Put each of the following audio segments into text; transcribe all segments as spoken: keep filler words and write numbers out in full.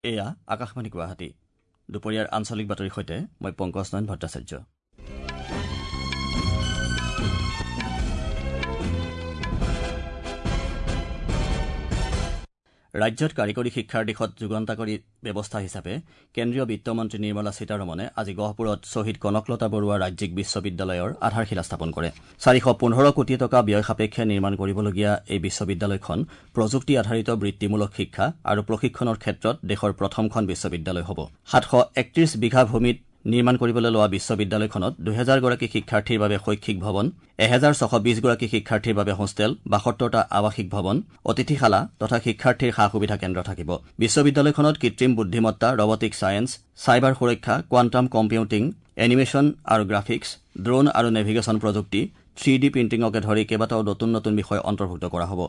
এয়া আকাশবাণী গুৱাহাটী। দুপৰীয়াৰ আঞ্চলিক বাতৰিৰ সৈতে মই পংকজ নয়ন ভট্টাচাৰ্য। ৰাজ্যত কাৰিকৰী শিক্ষাৰ দিশত যুগান্তকাৰী ব্যৱস্থা হিচাপে কেন্দ্ৰীয় বিত্তমন্ত্ৰী নিৰ্মলা সীতাৰমণে আজি গহপুৰত শ্বহীদ কনকলতা বৰুৱা ৰাজ্যিক বিশ্ববিদ্যালয়ৰ আধাৰশিলা স্থাপন কৰে। চাৰিশ পোন্ধৰ কোটি টকা ব্যয় সাপেক্ষে নিৰ্মাণ কৰিবলগীয়া এই বিশ্ববিদ্যালয়খন প্ৰযুক্তি আধাৰিত বৃত্তিমূলক শিক্ষা আৰু প্ৰশিক্ষণৰ ক্ষেত্ৰত দেশৰ প্ৰথমখন বিশ্ববিদ্যালয় হ'ব। সাতশ একত্ৰিশ বিঘা ভূমিত নিৰ্মাণ কৰিবলৈ লোৱা বিশ্ববিদ্যালয়খনত দুহেজাৰগৰাকী শিক্ষাৰ্থীৰ বাবে শৈক্ষিক ভৱন, এহেজাৰ ছশ বিশগৰাকী শিক্ষাৰ্থীৰ বাবে হোষ্টেল, বাসত্তৰটা আৱাসিক ভৱন, অতিথিশালা তথা শিক্ষাৰ্থীৰ সা সুবিধা কেন্দ্ৰ থাকিব। বিশ্ববিদ্যালয়খনত কৃত্ৰিম বুদ্ধিমত্তা, ৰবটিক ছায়েন্স, চাইবাৰ সুৰক্ষা, কোৱাণ্টাম কম্পিউটিং, এনিমেশ্যন আৰু গ্ৰাফিক্স, ড্ৰোন আৰু নেভিগেশ্যন প্ৰযুক্তি, থ্ৰী ডি প্ৰিণ্টিঙকে ধৰি কেইবাটাও নতুন নতুন বিষয় অন্তৰ্ভুক্ত কৰা হ'ব।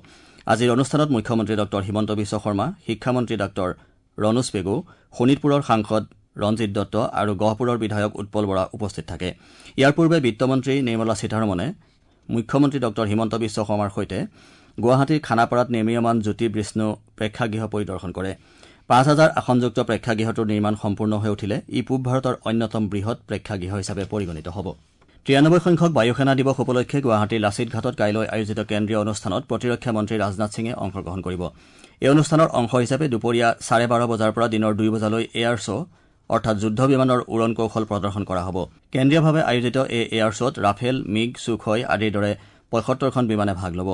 আজিৰ অনুষ্ঠানত মুখ্যমন্ত্ৰী ডঃ হিমন্ত বিশ্ব শৰ্মা, শিক্ষামন্ত্ৰী ডাঃ ৰণোজ পেগু, শোণিতপুৰৰ সাংসদ ৰঞ্জিত দত্ত আৰু গহপুৰৰ বিধায়ক উৎপল বৰা উপস্থিত থাকে। ইয়াৰ পূৰ্বে বিত্তমন্ত্ৰী নিৰ্মলা সীতাৰমণে মুখ্যমন্ত্ৰী ডঃ হিমন্ত বিশ্ব শৰ্মাৰ সৈতে গুৱাহাটীৰ খানাপাৰাত নিৰ্মীয়মান জ্যোতি বিষ্ণু প্ৰেক্ষাগৃহ পৰিদৰ্শন কৰে। পাঁচ হাজাৰ আসনযুক্ত প্ৰেক্ষাগৃহটোৰ নিৰ্মাণ সম্পূৰ্ণ হৈ উঠিলে ই পূব ভাৰতৰ অন্যতম বৃহৎ প্ৰেক্ষাগৃহ হিচাপে পৰিগণিত হ'ব। তিৰানব্বৈ সংখ্যক বায়ুসেনা দিৱস উপলক্ষে গুৱাহাটীৰ লাচিত ঘাটত কাইলৈ আয়োজিত কেন্দ্ৰীয় অনুষ্ঠানত প্ৰতিৰক্ষা মন্ত্ৰী ৰাজনাথ সিঙে অংশগ্ৰহণ কৰিব। এই অনুষ্ঠানৰ অংশ হিচাপে দুপৰীয়া চাৰে বাৰ বজাৰ পৰা দিনৰ দুই বজালৈ এয়াৰ শ্ব' অৰ্থাৎ যুদ্ধ বিমানৰ উৰণ কৌশল প্ৰদৰ্শন কৰা হ'ব। কেন্দ্ৰীয়ভাৱে আয়োজিত এই এয়াৰ শ্ব'ত ৰাফেল, মিগ, ছুখয় আদিৰ দৰে পঁয়সত্তৰখন বিমানে ভাগ ল'ব।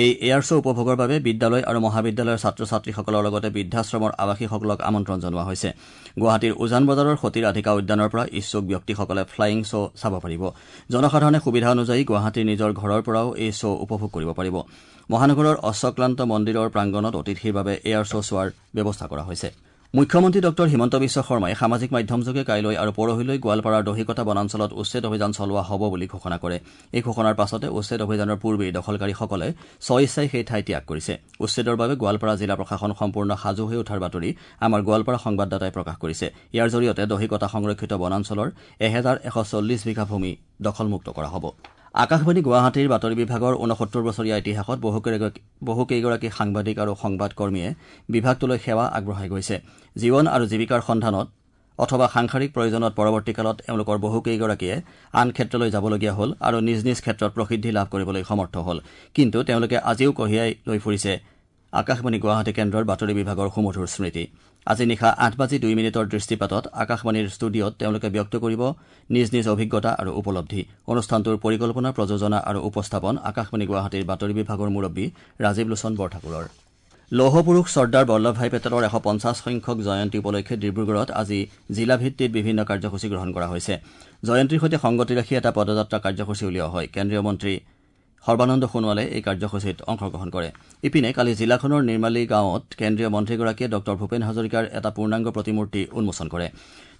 এই এয়াৰ শ্ব' উপভোগৰ বাবে বিদ্যালয় আৰু মহাবিদ্যালয়ৰ ছাত্ৰ ছাত্ৰীসকলৰ লগতে বৃদ্ধাশ্ৰমৰ আৱাসীসকলক আমন্ত্ৰণ জনোৱা হৈছে। গুৱাহাটীৰ উজান বজাৰৰ সতী ৰাধিকা উদ্যানৰ পৰা ইচ্ছুক ব্যক্তিসকলে ফ্লাইং শ্ব' চাব পাৰিব। জনসাধাৰণে সুবিধা অনুযায়ী গুৱাহাটীৰ নিজৰ ঘৰৰ পৰাও এই শ্ব' উপভোগ কৰিব পাৰিব। মহানগৰৰ অশ্বক্লান্ত মন্দিৰৰ প্ৰাংগণত অতিথিৰ বাবে এয়াৰ শ্ব' চোৱাৰ ব্যৱস্থা কৰা হৈছে। মুখ্যমন্ত্ৰী ডঃ হিমন্ত বিশ্ব শৰ্মাই সামাজিক মাধ্যমযোগে কাইলৈ আৰু পৰহিলৈ গোৱালপাৰাৰ দহিকটা বনাঞ্চলত উচ্ছেদ অভিযান চলোৱা হ'ব বুলি ঘোষণা কৰে। এই ঘোষণাৰ পাছতে উচ্ছেদ অভিযানৰ পূৰ্বেই দখলকাৰীসকলে স্বইচ্ছাই সেই ঠাই ত্যাগ কৰিছে। উচ্ছেদৰ বাবে গোৱালপাৰা জিলা প্ৰশাসন সম্পূৰ্ণ সাজু হৈ উঠাৰ বাতৰি আমাৰ গোৱালপাৰা সংবাদদাতাই প্ৰকাশ কৰিছে। ইয়াৰ জৰিয়তে দহিকটা সংৰক্ষিত বনাঞ্চলৰ এহেজাৰ এশ চল্লিছ বিঘা ভূমি দখলমুক্ত কৰা হ'ব। আকাশবাণী গুৱাহাটীৰ বাতৰি বিভাগৰ ঊনসত্তৰ বছৰীয়া ইতিহাসত বহুকেইগৰাকী সাংবাদিক আৰু সংবাদকৰ্মীয়ে বিভাগটোলৈ সেৱা আগবঢ়াই গৈছে। জীৱন আৰু জীৱিকাৰ সন্ধানত অথবা সাংসাৰিক প্ৰয়োজনত পৰৱৰ্তীকালত এওঁলোকৰ বহুকেইগৰাকীয়ে আন ক্ষেত্ৰলৈ যাবলগীয়া হ'ল আৰু নিজ নিজ ক্ষেত্ৰত প্ৰসিদ্ধি লাভ কৰিবলৈ সমৰ্থ হ'ল। কিন্তু তেওঁলোকে আজিও কঢ়িয়াই লৈ ফুৰিছে আকাশবাণী গুৱাহাটী কেন্দ্ৰৰ বাতৰি বিভাগৰ সুমধুৰ স্মৃতি। আজি নিশা আঠ বাজি দুই মিনিটৰ দৃষ্টিপাতত আকাশবাণীৰ ষ্টুডিঅ'ত তেওঁলোকে ব্যক্ত কৰিব নিজ নিজ অভিজ্ঞতা আৰু উপলব্ধি। অনুষ্ঠানটোৰ পৰিকল্পনা, প্ৰযোজনা আৰু উপস্থাপন আকাশবাণী গুৱাহাটীৰ বাতৰি বিভাগৰ মুৰব্বী ৰাজীৱ লোচন বৰঠাকুৰৰ। লৌহপুৰুষ চৰ্দাৰ বল্লভভাই পেটেলৰ এশ পঞ্চাছ সংখ্যক জয়ন্তী উপলক্ষে ডিব্ৰুগড়ত আজি জিলাভিত্তিত বিভিন্ন কাৰ্যসূচী গ্ৰহণ কৰা হৈছে। জয়ন্তীৰ সৈতে সংগতি ৰাখি এটা পদযাত্ৰা কাৰ্যসূচী উলিওৱা হয়। কেন্দ্ৰীয় মন্ত্ৰী সৰ্বানন্দ সোণোৱালে এই কাৰ্যসূচীত অংশগ্ৰহণ কৰে। ইপিনে কালি জিলাখনৰ নিৰ্মালী গাঁৱত কেন্দ্ৰীয় মন্ত্ৰীগৰাকীয়ে ডঃ ভূপেন হাজৰিকাৰ এটা পূৰ্ণাংগ প্ৰতিমূৰ্তি উন্মোচন কৰে।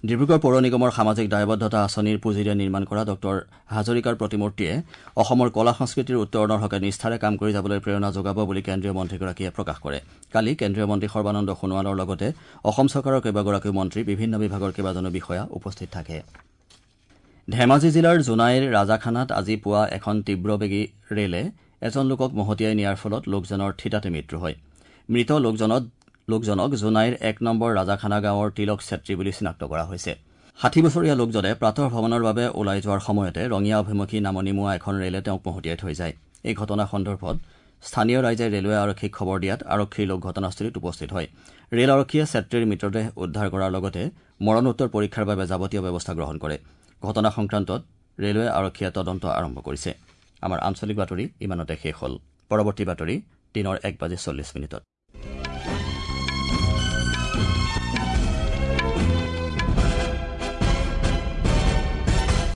ডিব্ৰুগড় পৌৰ নিগমৰ সামাজিক দায়বদ্ধতা আঁচনিৰ পুঁজিৰে নিৰ্মাণ কৰা ডঃ হাজৰিকাৰ প্ৰতিমূৰ্তিয়ে অসমৰ কলা সংস্কৃতিৰ উত্তৰণৰ হকে নিষ্ঠাৰে কাম কৰি যাবলৈ প্ৰেৰণা যোগাব বুলি কেন্দ্ৰীয় মন্ত্ৰীগৰাকীয়ে প্ৰকাশ কৰে। কালি কেন্দ্ৰীয় মন্ত্ৰী সৰ্বানন্দ সোণোৱালৰ লগতে অসম চৰকাৰৰ কেইবাগৰাকীও মন্ত্ৰী, বিভিন্ন বিভাগৰ কেইবাজনো বিষয়া উপস্থিত থাকে। ধেমাজি জিলাৰ জোনাইৰ ৰাজাখানাত আজি পুৱা এখন তীব্ৰবেগী ৰেলে এজন লোকক মহতিয়াই নিয়াৰ ফলত লোকজনৰ থিতাতে মৃত্যু হয়। মৃত লোকজনক লোকজনক জোনাইৰ এক নম্বৰ ৰাজাখানা গাঁৱৰ তিলক চেত্ৰী বুলি চিনাক্ত কৰা হৈছে। ষাঠি বছৰীয়া লোকজনে প্ৰাতঃ ভ্ৰমণৰ বাবে ওলাই যোৱাৰ সময়তে ৰঙিয়া অভিমুখী নামনিমুৱা এখন ৰেলে তেওঁক মহতিয়াই থৈ যায়। এই ঘটনা সন্দৰ্ভত স্থানীয় ৰাইজে ৰেলৱে আৰক্ষীক খবৰ দিয়াত আৰক্ষীৰ লোক ঘটনাস্থলীত উপস্থিত হয়। ৰেল আৰক্ষীয়ে চেত্ৰীৰ মৃতদেহ উদ্ধাৰ কৰাৰ লগতে মৰণোত্তৰ পৰীক্ষাৰ বাবে যাৱতীয় ব্যৱস্থা গ্ৰহণ কৰে। ঘটনা সংক্ৰান্তত ৰেলৱে আৰক্ষীয়ে তদন্ত আৰম্ভ কৰিছে। আমাৰ আঞ্চলিক বাতৰি ইমানতে শেষ হ'ল। পৰৱৰ্তী বাতৰি দিনৰ এক বাজি চল্লিছ মিনিটত।